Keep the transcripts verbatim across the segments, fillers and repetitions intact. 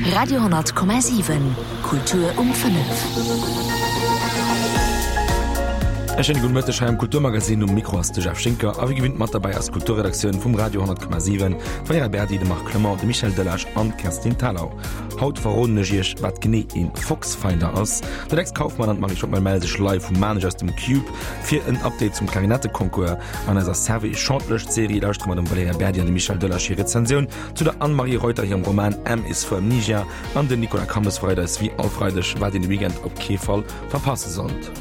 Radio honnert Komma siwen, Kultur um fënnef. E schéine gudde Mëtteg hei am Kulturmagazin. Um Mikro ass de Jeff Schinker a wéi gewinnt mat derbäi ass d'Kulturredaktioun vum Radio honnert Komma siwen, d'Valerija Berdi, de Marc Clement, de Michel Delage an d'Kerstin Thalau. Haut verroden ech iech, wat genee een Foxfinder ass. De Lex Kauffmann an d'Marie Schockmel melle sech live vu Maarnech aus dem Cube fir en Update zum Klarinetteconcours. An eiser Servais Chante-Lëscht-Serie lauschtere mer dem Valerija Berdi an dem Michel Delage hir Rezensioun zu der Anne-Marie Reuter hirem Roman M is for Amnesia an den Nicolas Cammes verréit eis wéi all Freideg, wat een de Weekend op kee Fall verpasse sollt.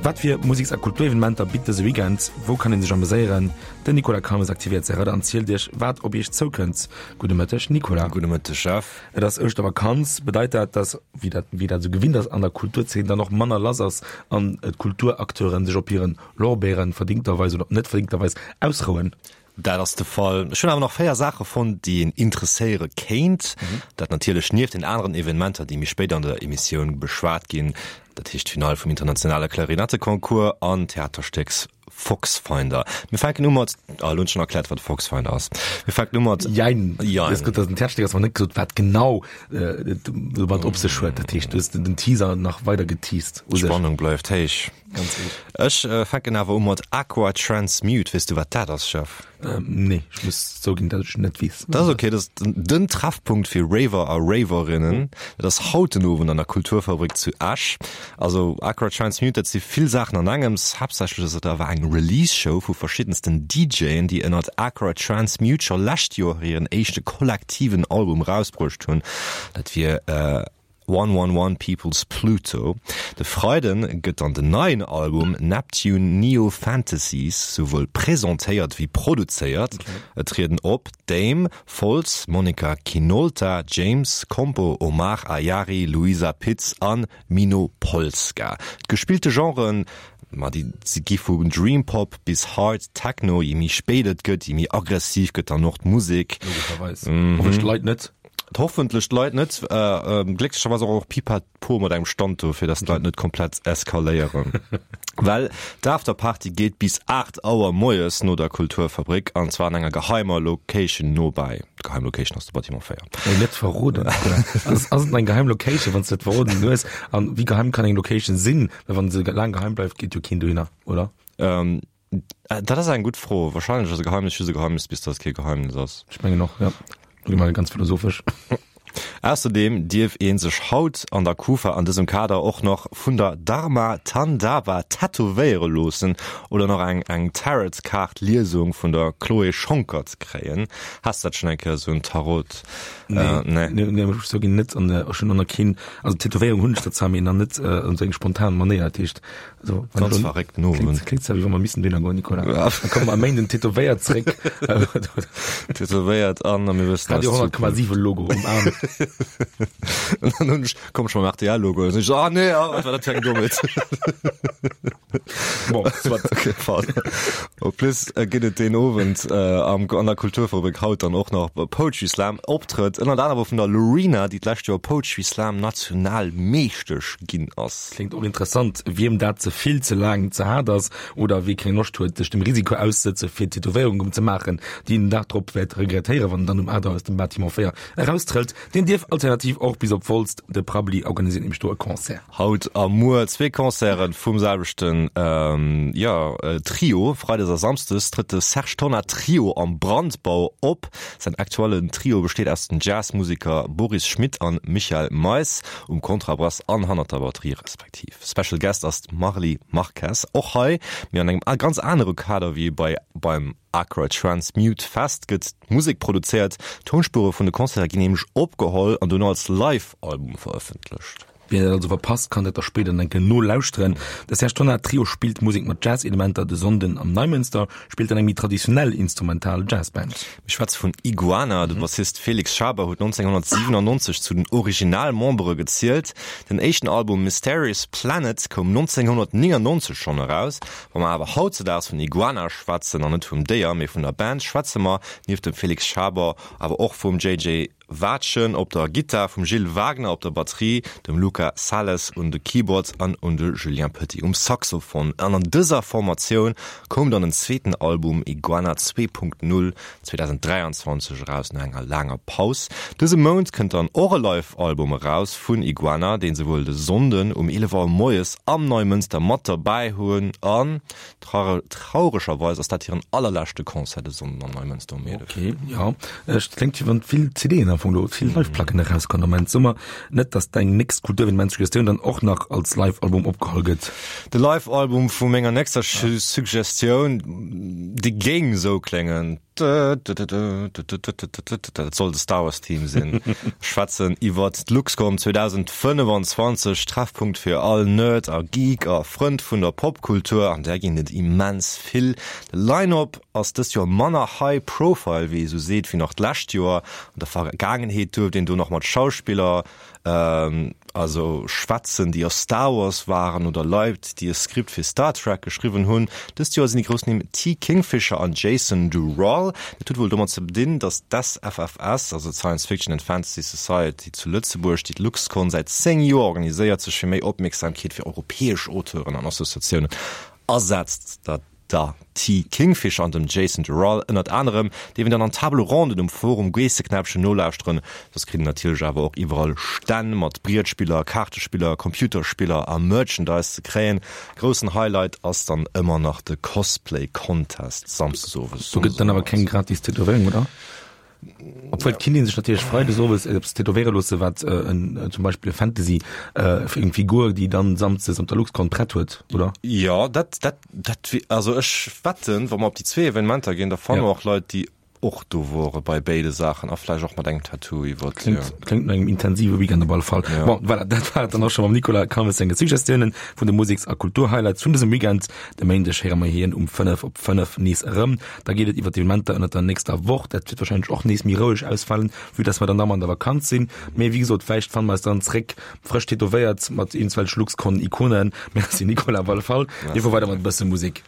Wat fir Museks a Kulturevenementer bitt dëse Weekend? Wou kann een sech ameséieren? Den Nicolas Cammes aktivéiert säi Radar an zielt iech, wat op iech zoukënnt. Gudde Mëtteg, Nicolas. Gudde Mëtteg, Jeff. Et ass Ouschtervakanz. Bedeit dat, dass, wéi dat, wéi dat esou gewinnt ass an der Kulturzeen, dann och manner lass ass an d'Kulturacteuren sech op hiren Lorbeeren, verdingterweis oder net verdingterweis, ausrouen? Dat ass de Fall. Ech hunn awer nach véier Saache fonnt, déi een interesséiere kéint. Dat natierlech nieft den aneren Evenementer, déi méi spéit an der Emissioun beschwat ginn, dat heescht d'Finall vum internationale Klarinetteconcours an d'Theaterstéck Foxfinder. Mir fänken u mat, ah, elo hunn ech schonn erkläert, wat e Foxfinder ass. Mir fänken u mat. Jein. Jein. Du hues gesot, dass et en Theaterstéck ass, awer net gesot, wat genau et domat op sech huet. Dat heescht, du hues den Teaser nach weider geteased u sech. D'Spannung bleift héich. Ganz héich. Ech fänken awer u mat Aqua Transmute. Weess du, wat dat ass, Jeff? Nee, ech muss zouginn, datt ech net weess. Dat ass ok. Dat ass den Treffpunkt fir Raver a Raverinnen. Dat ass haut den Owend an der Kulturfabrik zu Esch. Also Aqua Transmute, dat si vill Saachen an engems. Haaptsächlech ass et awer eng Release-Show vu verschiddensten DJen, déi ënnert Aqua Transmute scho lescht Joer hiren éischte kollektiven Album erausbruecht hunn. Dat wier One One One People's Pluto. De Freiden gëtt dann den neien Album Neptune Neo Fantasies souwuel presentéiert wéi produzéiert. Et trieden op, Dame, Folz, Monica Kinolta, James, Compo, Omar Ayari, Luisa Pitz an Mino Polska. D'gespillte Genren, ma déi si gi vu Dream Pop bis Hard Techno. Je méi spéit et gëtt, je méi aggressiv gëtt dann och d'Musek. Logescherweis. Hoffentlech d'Leit net. Hoffentlech d'Leit net. Glécklecherweis och och Pipapo mat engem Stand do, fir dass d'Leit net komplett eskaléieren. Well d'Afterparty geet bis aacht Auer moies no der Kulturfabrik, an zwar an enger geheimer Location nobäi. D'geheim Location ass de Bâtiment véier. Ey, net verroden. Ass, ass et eng geheim Location, wann s de et verroden hues? An wéi geheim kann eng Location sinn? Well wann se laang geheim bleift, geet jo keen dohinner, oder? Ähm, dat ass eng gutt Fro. Wahrscheinlech ass e Geheimnis just e Geheimnis, bis dass et kee Geheimnis ass. Ech mengen och, ja. Lo gi mer ganz philosophesch. Ausserdeem dierf ee sech haut an der Kufa an dësem Kader och nach vun der Dharma Tandava tätowéiere loossen oder nach eng eng Tarot-Kaart-Liesung vun der Chloé Schonckert kréien. Has de dat schonn eng Kéier, esou en Tarot? Nee, nee, nee, ech soen net an ech hunn och nach keen, also Tätowéierung hunn ech der zwar, mee nach net an esou eng spontan Manéier. Dat heescht, also wann Ganz elo verréckten Owend. Kléngt, kléngt zwar wéi wa mer missten dohinner goen, Nicolas. Ja. Da komme mer am Méinden tätowéiert zréck. Tätowéiert an a mir wëssen Radio honnert Komma siwen Logo um Aarm. An dann hunn ech, komm ech mam R T L Logo, an ech so, ah nee, ah, wat war dat fir eng Dommheet. Bon, soit. Okay, pardon. En plus gëtt et deen Owend am, an der Kulturfabrik haut dann och nach Poetry Slam Optrëtt, ënnert anerem vun der Lorena, déi d'lescht Joer Poetry Slam Nationalmeeschtesch ginn ass. Kléngt och interessant. Wiem dat ze vill, ze laang, ze haart ass oder wie keng Loscht huet, sech dem Risiko auszesëtze fir Tätowéierungen ze maachen, déi en den Dag drop wäert regrettéieren, wann en dann um aacht Auer aus dem Bâtiment véier eraustrëllt, deen dierf alternativ och bis op Wolz. De Prabbeli organiséiert nämlech do e Concert. Haut a muer zwee Concerte vum selwechten, jo, Trio. Freides a Samsdes trëtt de Serge Tonnar Trio am Brandbau op. Säin aktuellen Trio besteet aus den Jazzmuseker Boris Schmidt an Michael Mais um Kontrabass an hannert der Batterie respektiv. Special Guest ass d'Marly Marques. Och hei, mee an engem ganz anere Kader wéi bei beim Accra Transmute Fest, gëtt d'Musek produzéiert. D'Tounspuere vun de Concerte ginn nämlech opgeholl an dono als Live-Album verëffentlecht. Wien dat also verpasst, kann dat da spéider nach eng Kéier nolauschteren. De Serge Tonnar Trio spillt Musek mat Jazz-Elementer, de Sonnden am Neimënster spillt dann eng méi traditionell instrumental Jazzband. Mir schwätze vun Iguana. De Bassist Felix Schaber huet nonzénghonnertsiwenannonzeg zu den Originalmembere gezielt. Den éischten Album Mysterious Planet koum nonzénghonnertnéngannonzeg schonn eraus. Wa mer awer hautzedaags vun Iguana schwätzen, an net vum Déier, mee vun der Band, schwätze mer nieft dem Felix Schaber awer och vum J J. Watschen op der Gittar, vum Gilles Wagner op der Batterie, dem Luca Sales un de Keyboards an un de Julien Petit um Saxophon. An an dëser Formatioun koum dann en zweeten Album Iguana zwee Punkt null zweedausenddräianzwanzeg eraus, no enger laanger Paus. Dëse Mount kënnt dann och e Live-Album eraus vun Iguana, deen se wuel de Sonnden um eelef Auer moies am Neumënster mat derbäi hunn. An trauregerweis ass dat hiren allerleschte Concert de Sonnden am Neumënster um eelef. Ok, jo, et kléngt wéi wann vill C D'en am Fong do, vill Live-Placken erauskommen am Moment. So mer net, dass deng nächst Kulturevenement-Suggestioun dann och nach als Live-Album opgeholl gëtt. De Live-Album vu menger nächster Suggestioun, dee géing esou kléngen. Dat soll de Star Wars Theme sinn. Ech schwätzen iwwert d'LuxCon zweedausendfënnefanzwanzeg, Treffpunkt fir all Nerd a Geek a Frënd vun der Popkultur, an där ginn et immens vill. De Line-Up ass dëst Joer manner high profile, wéi ee sou seet, wéi nach d'lescht Joer. An der Vergaangenheet duerft een do nach mat Schauspiller also schwätzen, déi a Star Wars waren oder Leit, déi e Skript fir Star Trek geschriwwen hunn. Dëst Joer sinn déi grouss Nimm T. Kingfisher an Jason Durall. Dat huet wuel domat ze dinn, datt d'S F F S, also d'Science Fiction and Fantasy Society zu Lëtzebuerg, déi d'LuxCon säit zéng Joer organiséiert, sech fir méi Opmierksamkeet fir europäesch Auteuren an Associatiounen asetzt. Dat der T. Kingfisher an dem Jason Durall ënnert anerem dierf een dann an Table Ronden um Forum Geesseknäppchen nolauschteren. Soss kritt een natierlech awer och iwwerall Stänn mat Brietspiller, Kaartespiller, Computerspiller a Merchandise ze kréien. Groussen Highlight ass dann ëmmer nach de Cosplay Contest samsdes owes. Do gëtt et dann awer keng gratis Tätowéierung, oder? Obwuel et kinnt ee sech natierlech freides owes eppes tätowéiere loosse wat en zum Beispill e Fantasy eng Figur déi dann samsdes op der LuxCon prett huet, oder? Jo, dat dat dat wier, also ech wetten, wa mer op déi zwee Evenementer ginn, da fanne mer och Leit déi och do wore bei béide Saachen a vläicht och mat engem Tattoo iwwert. Kléngt kléngt no engem intensive Weekend op alle Fall. Bon, voilà, dat war et dann och scho mam Nicolas Calmes senge Suggestiounen vun de Museks a Kulturhighlights vun dësem Weekend. De Méindeg héiere mer hien um fënnef op fënnef nees erëm. Da geet et iwwer d'Evenementer ënnert der nächster Woch. Dat wäert warscheinlech och nees méi roueg ausfalen, vue dass mer dann nach mol an der Vakanz sinn. Mee wéi gesot, vläicht fanne mer eis dann zréck, frësch tätowéiert mat iergendwelche Luxcon-Ikonen. Merci Nicolas op alle Fall. Mir fuere weider mat e bësse Musek.